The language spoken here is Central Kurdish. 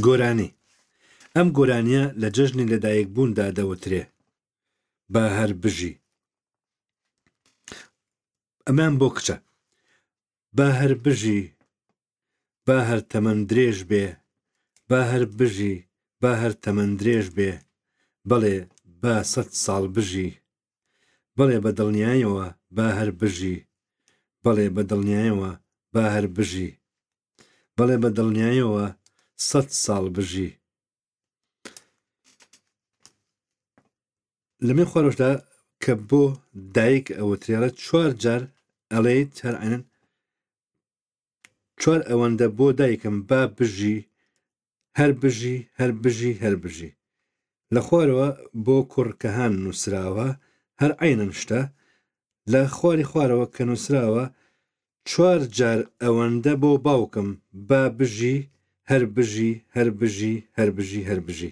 گۆرانی، ئەم گۆرانییە لە جەژنی لەدایکبووندا دەوترێ. با هەر بژی. ئەمەیان بۆ کچە. با هەر بژی، با هەر تەمەن درێژ بێ، با هەر بژی، با هەر تەمەن درێژ بێ، بەڵێ با سەت ساڵ بژی. بەڵێ بە دڵنیایەوە با هەر بژی. بەڵێ بە دڵنیایەوە با هەر بژی. بەڵێ بە دڵنیایەوە سەت ساڵ بژی. لەمێ خوارەوەشدا کە بۆ دایک ئەوترێڵە چوار جار ئەڵێیت هەر عەینەن چوار ئەوەندە بۆ دایکم با بژی هەر بژی هەر بژی هەر بژی. لە خوارەوە بۆ کوڕ کەهان نووسراوە هەر عەینەن شتە لە خواری خوارەوە کە نووسراوە چوار جار ئەوەندە بۆ باوکم با بژی هەر بژی هەر بژی هەر بژی هەر بژی.